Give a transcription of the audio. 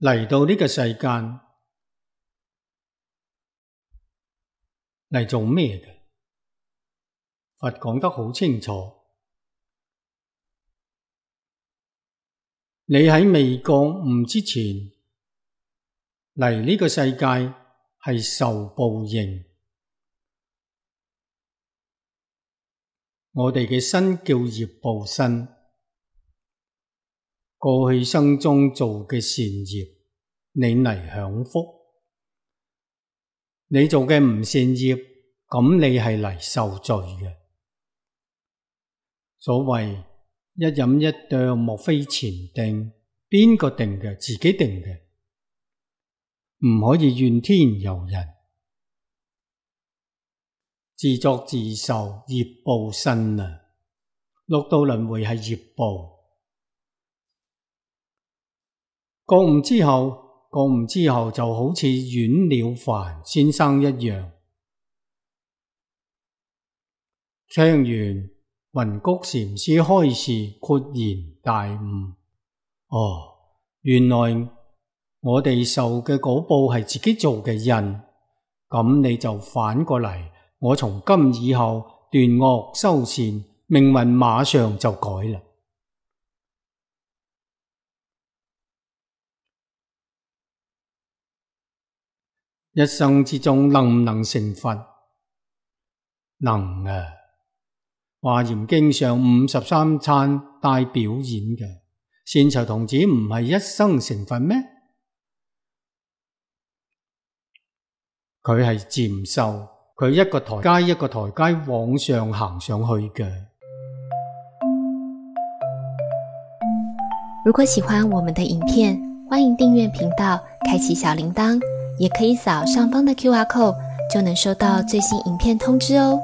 嚟到呢個世間嚟做咩嘅？佛講得好清楚，你喺未覺悟之前嚟呢個世界係受報應。我哋嘅身叫業報身，過去生中做嘅善業，你嚟享福。你做嘅唔善業，咁你係嚟受罪嘅。所謂一飲一啄，莫非前定，邊個定嘅？自己定嘅，唔可以怨天尤人。自作自受，業報身啊！六道輪迴係業報。覺悟之後就好似阮了凡先生一樣，聽完雲谷禪師開示，豁然大悟。原來我哋受嘅果報係自己做嘅因，咁你就反過嚟，我從今以後斷惡修善，命運馬上就改啦。一生之中能唔能成佛？能啊！華嚴經上53餐帶表演嘅，善財童子唔係一生成佛咩？佢係漸修，佢一個台階一個台階往上行上去嘅。如果喜歡我們的影片，歡迎訂閱頻道，開啟小鈴鐺，也可以掃上方的QR code，就能收到最新影片通知哦。